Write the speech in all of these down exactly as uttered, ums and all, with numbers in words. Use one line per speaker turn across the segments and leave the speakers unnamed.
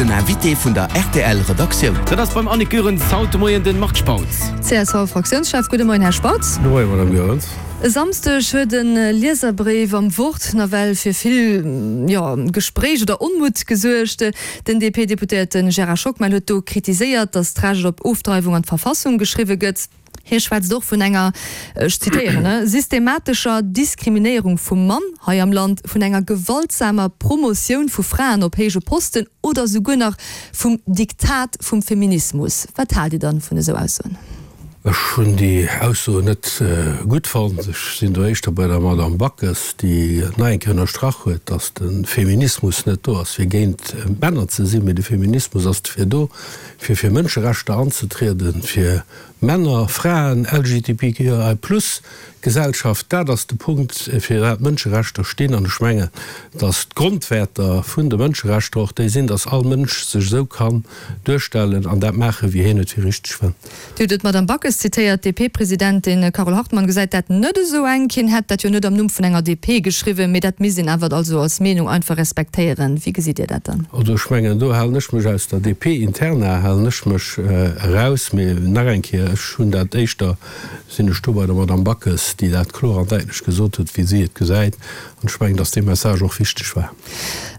den Invité vun der R T L Redaktioun.
Dat ass beim Annick Goerens haut de Moien den Marc Spautz.
C S V-Fraktiounschef, gudde Moien, Här Spautz.
Gudde Moien, Madame Goerens.
E Samsdeg huet e Lieserbréif am Wort nawell fir vill, jo, Gespréich oder Onmutt gesuergt. Den D P-Deputéierte Gérard Schockmel huet do kritiséiert, datt d'Recht op Ofdreiwung an d'Verfassung geschriwwe gëtt. Hie schwätzt och vun enger, ech zitéieren, systematescher Diskriminéierung vum Mann hei am Land, vun enger gewaltsamer Promotioun vu Fraen op héije Posten oder souguer nach vum Diktat vum Feminismus. Wat haalt Dir dann vun esou Aussoen?
Ech hunn déi Aussoen net gutt fonnt. Ech sinn do éischter bei der Madame Backes, déi nach eng Kéier ënnerstrach huet, datt de Feminismus net do ass, fir géint Männer ze sinn, mee de Feminismus ass dofir do, fir fir Mënscherechter anzetrieden, fir Männer, Fraen, L G B T Q I plus Gesellschaft. Dat ass de Punkt, fir dat Mënscherechter stinn. An ech mengen, datt d'Grondwäerter vun de Mënscherechter och déi sinn, datt all Mënsch sech esou kann duerstellen an dat maachen, wéi hien et fir richteg fënnt.
Dir hutt d'Madame Backes zitéiert. D P-Presidentin Carole Hartmann gesäit dat net esou enk. Hien hätt dat jo net am Numm vun enger D P geschriwwen, mee dat misst een awer also als Meenung einfach respektéieren. Wéi gesitt Dir dat dann?
Also ech mengen, do halen ech mech aus der D P-Interna halen ech mech eraus. Mee nach eng Kéier, ech hunn dat éischter, sinn ech do bei der Madame Backes, déi dat kloer an däitlech gesot huet, wéi si et gesäit. An ech mengen, datt dee Message och wichteg war.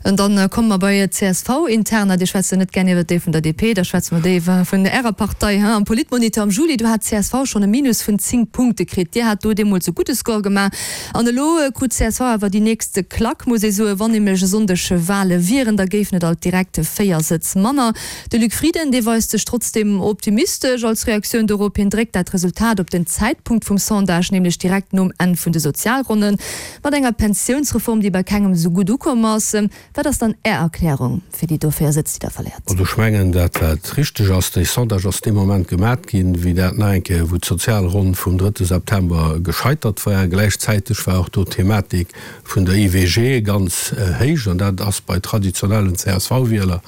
An dann komme mer bei C S V-Interna. Dir schwätzt jo net gär iwwer déi vun der D P, da schwätze mer déi vun Ärer Partei. Am Politmonitor am Juli, do hat d'C S V schonn e Minus vun zéng Punkte kritt. Dir hat do deemools e gudde Score gemaach. An elo krut d'C S V awer déi nächst Klack, muss ee soen. Wann nämlech e Sonndeg Wale wieren, da géifen et alt direkt véier Sëtz manner. De Luc Frieden, dee weist sech trotzdeem optimistesch als Reaktioun dorop. Hien dréckt dat Resultat op den Zäitpunkt vum Sondage, nämlech direkt nom Enn vun de Sozialronnen, mat enger Pensiounsreform, déi bei kengem esou gutt ukomm ass. Wat ass dann Är Erklärung fir déi do véier Sëtz, déi Der verléiert?
Also ech mengen, dat wat richteg ass, dee Sondage ass dee Moment gemat ginn, wéi dat nach eng Kéier, wou d'Sozialronn vum drëtte September gescheitert war. Gläichzäiteg war och do d'Thematik vun der I W G ganz héich, an dat ass bei traditionellen C S V-Wieler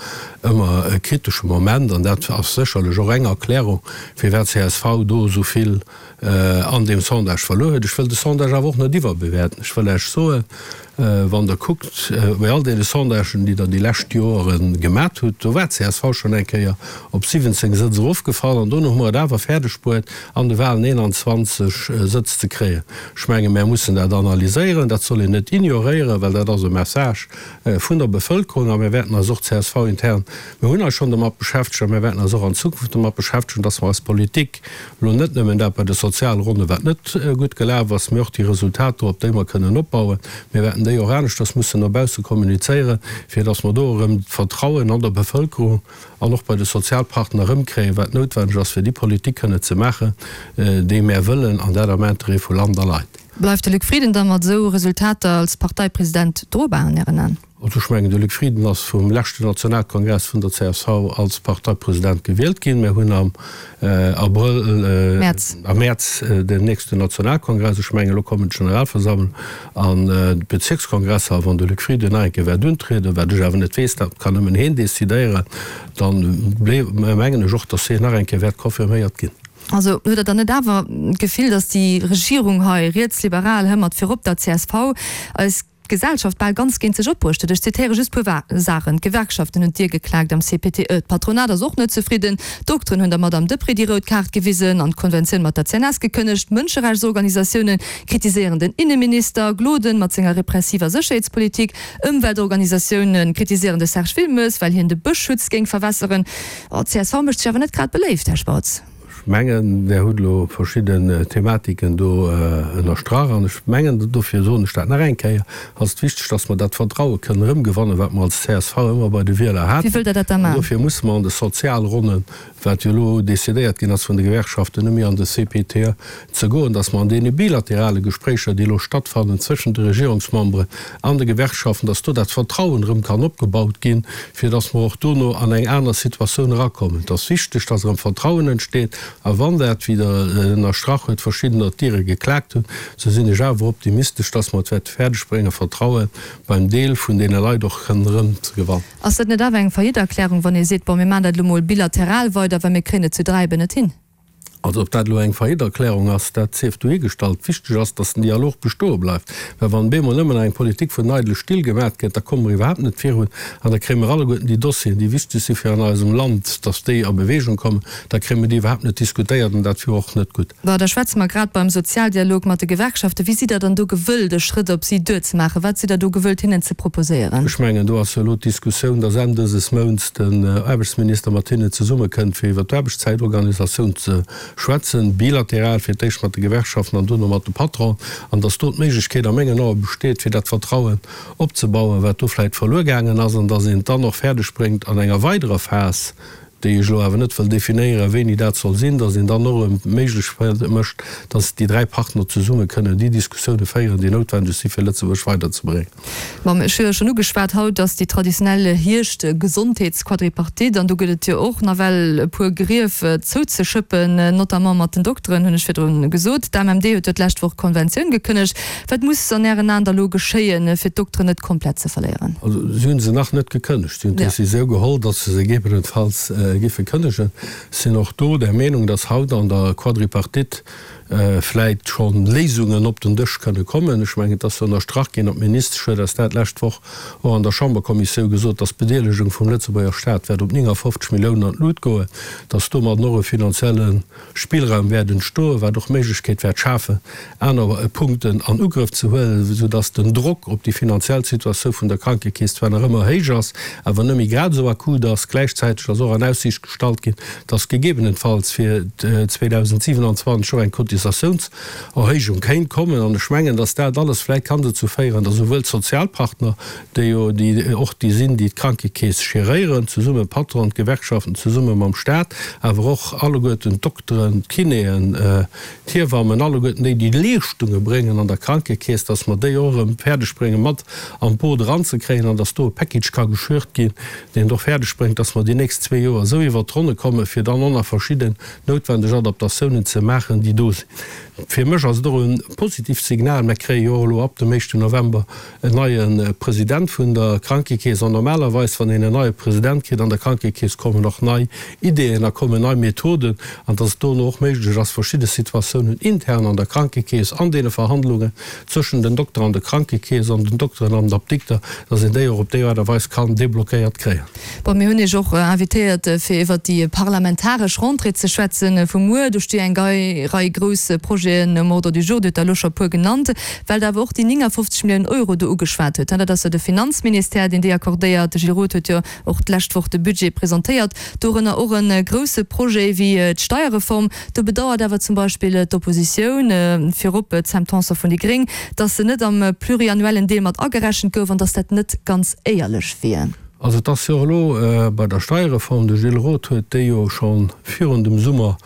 ëmmer e kritesche Moment, an dat ass sécherlech och eng Erklärung, firwat C S V do esou vill an deem Sondage verluer huet. Ech wëll de Sondage awer och net iwwerbewäerten. Ech wëll Iech soen, wann Der kuckt, bei all deene Sondagen, déi Der déi lescht Jore gemat hutt, do war C S V schonn eng Kéier op siwwenzéng Sëtz erofgefall an dono hu mer et awer fäerdeg bruet, an de Walen eenanzwanzeg Sëtz ze kréien. Ech menge mär mussen dat analyséieren, dat soll een net ignoréieren, well dat ass e Message vun der Bevëlkerung, a mir wäerten eis och C S V-intern, mir hunn eis schonn domat beschäftegt a mir wäerten eis och an Zukunft domat beschäftegen, dass mer eis Politik elo net nëmmen dat bei de Sozialronne, wat net gutt gelaf ass, mee och déi Resultater, op déi mer kënnen opbauen, mir wäerten déi och aneschters mussen no bausse kommunizéieren, fir dass mer do erëm d'Vertrauen an der Bevëlkerung an och bei de Sozialpartner erëmkréien, wat noutwenneg ass, fir déi Politik kënnen ze maachen, déi mär wëllen, an dat am Interêt vu Land a Leit.
Bleift de Luc Frieden da mat esou Resultater als Parteipresident drobar an Ären Aen?
Also ech mengen, de Luc Frieden ass vum leschten Nationalkongress vun der C S V als Parteipresident gewielt ginn. Mir hunn am Abrëll,
Mäerz,
am Mäerz den nächsten Nationalkongress. Ech mengen, elo kommen d'Generalversammlung an d'Bezierkskongresser. A wann de Luc Frieden nach eng Kéier wäert untrieden, wat ech awer net weess, dat kann nëmmen hien decidéieren, dann mengen ech och, datt hien nach eng Kéier wäert confirméiert ginn.
Also hutt Der dann net awer d'Gefill, datt déi Regierung hei, rietsliberal, hë mat virop der C S V, eis Gesellschaft bal ganz géint sech opbruecht huet? Ech zitéiere just puer Saachen, D'Gewerkschaften hunn d'Dier geklaakt am C P T E, d'Patronat ass och net zefridden, d'Dokteren hunn der Madame Deprez déi rout Kaart gewisen an d'Konventioun mat der C N S gekënnegt, d'Mënscherechtsorganisatioune kritiséieren den Inneminister Gloden mat senger repressiver Sécherheetspolitik, Ëmweltorganisatioune kritiséieren de Serge Wilmes, well hien de Bëschschutz géing verwässeren. Oh, d'C S V mécht sech awer net grad beléift, Här Spautz.
Ech mengen, Der hutt elo verschidden Thematiken do ënnerstrach, an ech mengen, dofir soen ech dat nach eng Kéier, ass et wichteg, dass mer dat Vertraue kënnen erëmgewannen, wat mer als C S V ëmmer bei de Wieler
Wéi
haten.
Wëllt Der dat da
An
maachen?
dofir musse mer an de Sozialronnen, wat jo elo decidéiert ginn ass vun de Gewerkschaften, net méi an de C P T E ze goen, dass mer an deene bilaterale Gespréicher, déi elo stattfannen zwëschent de Regierungsmemberen an de Gewerkschaften, dass do dat Vertrauen erëm kann opgebaut ginn, fir dass mer och dono an eng aner Situatioun erakommen. Et ass wichteg, dass erëm Vertrauen entsteet, a wann dat, wéi Der ënnerstrach hutt, verschiddener d'Diere geklaakt hunn, sou sinn ech awer optimistesch, dass mer et wäerte fäerdegbréngen, Vertraue beim Deel vun deene Leit och kënnen erëm ze gewannen.
Ass dat net awer eng Faillite-Erklärung, wann ee seet, bon, mir maachen dat elo mol bilateral weider, well mir kréien et zu dräi eben net hin?
Also ob dat elo eng Faillite-Erklärung ass, dat sief dohigestallt. Wichteg ass, datt den Dialog bestoe bleift. Well wann bemol nëmmen eng Politik vun eidele Still gemaat gëtt, da komme mer iwwerhaapt net virun an da kréie mer alleguerten déi Dossieren, déi wichteg si fir an eisem Land, datt déi a Bewegung kommen, da kréie mer déi iwwerhaapt net diskutéiert an dat wier och net gutt.
Bon, da schwätze mer grad beim Sozialdialog mat de Gewerkschaften. Wéi sidd Der dann do gewëllt, e Schrëtt op si duerzemaachen? Wat sidd Der do gewëllt, hinnen ze proposéieren?
Ech mengen, do ass jo elo d'Diskussioun, datt Enn dëses Mounts den Aarbechtsminister mat hinnen zesummekënnt, fir iwwert d'Aarbechtszäitorganisatioun ze schwätzen, bilateral, fir d'éischt mat de Gewerkschaften an duerno mat de Patronen, an datt do d'Méiglechkeet a mengen Ae besteet, fir dat Vertrauen opzebauen, wat do vläicht verluer gaangen ass, an datt een et dann och fäerdeg bréngt an enger weiderer Phas, déi ech elo awer net wëll definéieren, wéini dat soll sinn, datt een dann och erëm méiglech mécht, datt déi dräi Partner zesumme kënnen déi Diskussioune féieren, déi noutwendeg si fir Lëtzebuerg weiderzebréngen.
Bon, ech hu jo schonn ugeschwat, haut ass déi traditionell Hierscht-Gesondheetsquadripartite an do gëtt et jo och nawell e puer Grief zouzeschëppen, notamment mat den Dokteren, hunn ech virdrun gesot. D'AMMD huet jo d'lescht Woch d'Konventioun gekënnegt. Wat muss an Ären Aen da lo geschéien, fir d'Dokteren net komplett ze verléieren?
Also si hu se nach net gekënnegt. Si hunn d'Decisioun geholl, datt se se gegebenenfalls géife kënnegen. Ech sinn och do der Meenung, datt haut an der Quadripartite vläit scho Léisungen op den Dësch kënne kommen. Ech mengen, et ass jo ënnerstrach ginn, an d'Ministesch huet eis dat d'lescht Woch och an der Chamberkommissioun gesot, dass d'Bedeelegung vum Lëtzebuerger Stat wäert op neunundfünfzig Milliounen an d'Lut goen, dass domadden och e finanzielle Spillraum wäert entstoen, wat och d'Méiglechkeet wäert schafen, aner Punkten an Ugrëff ze huelen, soudass den Drock op déi finanziell Situatioun vun der Krankekeess zwar nach ëmmer héich ass, awer net méi grad esou akut ass. Gläichzäiteg ass och an Aussiicht gestallt ginn, dass gegebenenfalls fir zweitausendsiebenundzwanzig och eng Cotisatiounserhéijung kéint kommen. An ech mengen, dass dat alles vläicht kann dozou féieren, dass souwuel d'Sozialpartner, déi jo déi och déi sinn, déi d'Krankekeess geréieren, zesumme Patronen, d'Gewerkschaften, zesumme mam Stat, awer och alleguerten d'Dokteren, d'Kinéen, d'Hiewammen, alleguerten déi, déi Leeschtunge bréngen an der Krankekeess, dass mer déi och erëm fäerdeg bréngen, mat an d'Boot eranzekréien an dass do e Package ka geschürt ginn, deen et och fäerdeg bréngt, dass mer déi nächst zwee Joer esou iwwert d'Ronne kommen, fir dann och nach verschidden noutwendeg Adaptatiounen ze maachen, déi do sinn. Fir mech ass et och e positivt Signal, Mer kréie jo och elo ab dem éischten November en neie President vun der Krankekeess. An normalerweis, wann een en neie President kritt an der Krankekeess, kommen och nei Ideeën a kommen nei Methoden, an dass et dono och méiglech ass, verschidde Situatiounen intern an der Krankekeess, an deene Verhandlungen zwëschen den Dokter an der Krankekeess an den Dokteren an den Apdikter, dass een déi och op déi Aart a Weis kann deblockéiert kréien.
Bon, mir hunn Iech och invitéiert, fir iwwert déi parlamentaresch Rentrée ze schwätzen vu muer. Do sti eng Rei grouss Projeten um Ordre du jour, Dir hutt der elo scho e puer genannt, well Der awer och déi neunundfünfzig Milliounen Euro do ugeschwat hutt. Dat ass jo de Finanzministère, deen déi accordéiert. De Gilles Roth huet jo och d'lescht Woch de Budget presentéiert, dorënner och e grousse Projet wéi d'Steierreform. Do bedauert awer zum Beispill d'Oppositioun, virop d'Sam Tanson vun déi gréng, datt se net am pluriannuellen Deel mat agerechent gouf an datt dat net ganz éierlech wier.
Also et ass jo elo bei der Steierreform, de Gilles Roth huet déi jo scho virun dem Summer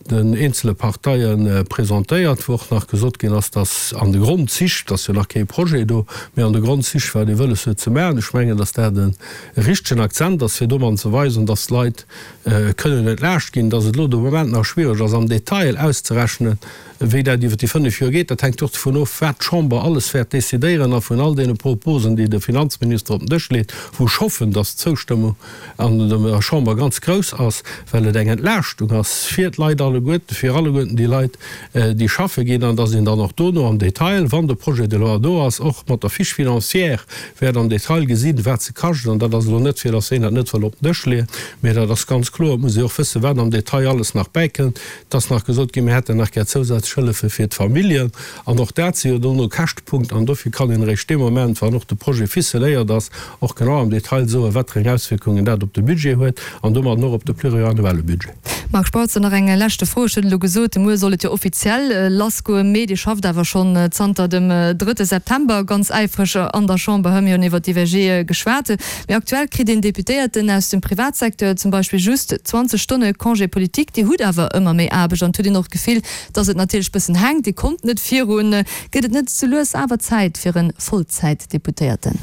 den eenzele Parteie presentéiert, wou och nach gesot ginn ass, datt an de Grondzich, et ass jo nach kee Projet do, mee an de Grondzich, wat ee wëlles huet ze maachen. Ech mengen, datt dat e richtegen Akzent ass, fir domadden ze weisen, datt d'Leit kënnen entlaascht ginn. Datt et elo de Moment nach schwiereg ass, am Detail auszerechnen, wéi dat iwwer déi fënnef Joer geet, dat hänkt och dovun of, wat d'Chamber alles wäert decidéieren a vun all deene Proposen, déi de Finanzminister op den Dësch leet, wou ech hoffen, datt d'Zoustëmmung an der Chamber ganz grouss ass, well et eng Entlaaschtung ass fir d'Leit alleguerten, fir alleguerten déi Leit, déi schaffe ginn, an datt een dann och dono am Detail, wann de Projet de loi do ass, och mat der Fiche financière wäert am Detail gesinn, wat se kascht. An dat ass elo net, fir datt een dat net wëll op den Dësch leeën, mä dat ass ganz kloer, et muss ee och wëssen, wat am Detail alles nach bäikënnt. Et ass nach gesot ginn, mir hätten nach gär zousätzlech Hëllefe fir d'Familljen. An och dat si jo dono Käschtepunkten. An dofir kann een eréischt dee Moment, wann och de Projet ficeléiert ass, och genau am Detail soen, wat fir eng Auswierkungen dat op de Budget huet an domadden och op de pluriannuelle Budget.
Marc Spautz, Nach eng leschte Fro. Ech hunn elo gesot, muer soll et jo offiziell lassgoen, mee Dir schafft awer schonn zanter dem drëtte September ganz äifreg an der Chamber. Mir hunn iwwer d'I W G geschwat. Mee aktuell kritt een Deputéierten aus dem Privatsecteur zum Beispill just zwanzeg Stonne Congé politique. Dir hutt awer ëmmer méi Aarbecht an et huet een och d'Gefill, datt et natierlech bëssen hänkt. Dir kommt net virun. Gëtt et net sou lues awer Zäit fir e Vollzäitdeputéierten?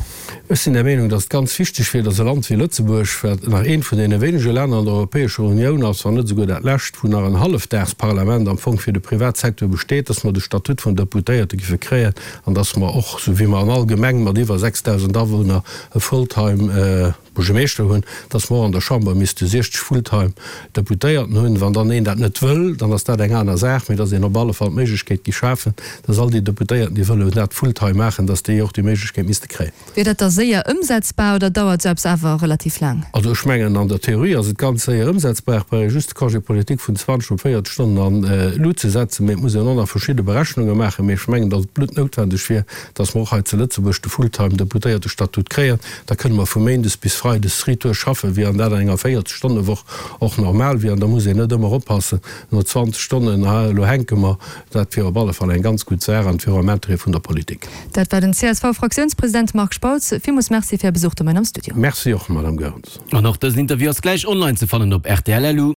Ech sinn der Meenung, datt et ganz wichteg wier, datt e Land wéi Lëtzebuerg, wat nach eent vun deene wéinege Länner an der Europäescher Unioun ass, wann net esouguer dat lescht, wou nach en Hallefdagsparlament am Fong fir de Privatsecteur besteet, datt mer de Statut vun Deputéierte giffe kréien an datt mer och, sou wéi mer an all Gemeng mat iwwer sechstausend Awunner e Fulltime Buergermeeschter hunn, dass mer och an der Chamber misste siechzeg Fulltime Deputéierten hunn. Wann dann een dat net wëll, dann ass dat eng aner Saach, mee dass een op alle Fall d'Méiglechkeet gi schafen, dass all déi Deputéierten, déi wëllen dat fulltime maachen, dass déi och déi Méiglechkeet misste kréien.
Wier dat da séier ëmsetzbar oder dauert esou eppes awer relativ laang?
Also ech mengen, an der Theorie ass et ganz séier ëmsetzbar, brauch ee just de Congé politique vun zwanzeg op véierzeg Stonnen an d'Lut ze setzen, mee et muss een och nach verschidde Berechnunge maachen. Mee ech mengen, dass et bluttnoutwendeg wier, dass mer och hei zu Lëtzebuerg de fulltime Deputéiertestatut kréien. Da kënne mer vu méindes bis freides retour schaffen, wéi an dat an enger véierzeg-Stonne-Woch och normal wier. An da muss een net ëmmer oppassen, no zwanzeg Stonnen, ah, elo hänke mer. Dat wier op alle Fall eng ganz gutt Saach an et wier och am Interêt vun der Politik.
Dat war den C S V-Fraktiounspresident Marc Spautz. Villmools Merci fir Är Besuch de Moien am Studio.
Merci och, Madame Goerens.
An och dësen Interview ass gläich online ze fannen op rtl. Lu.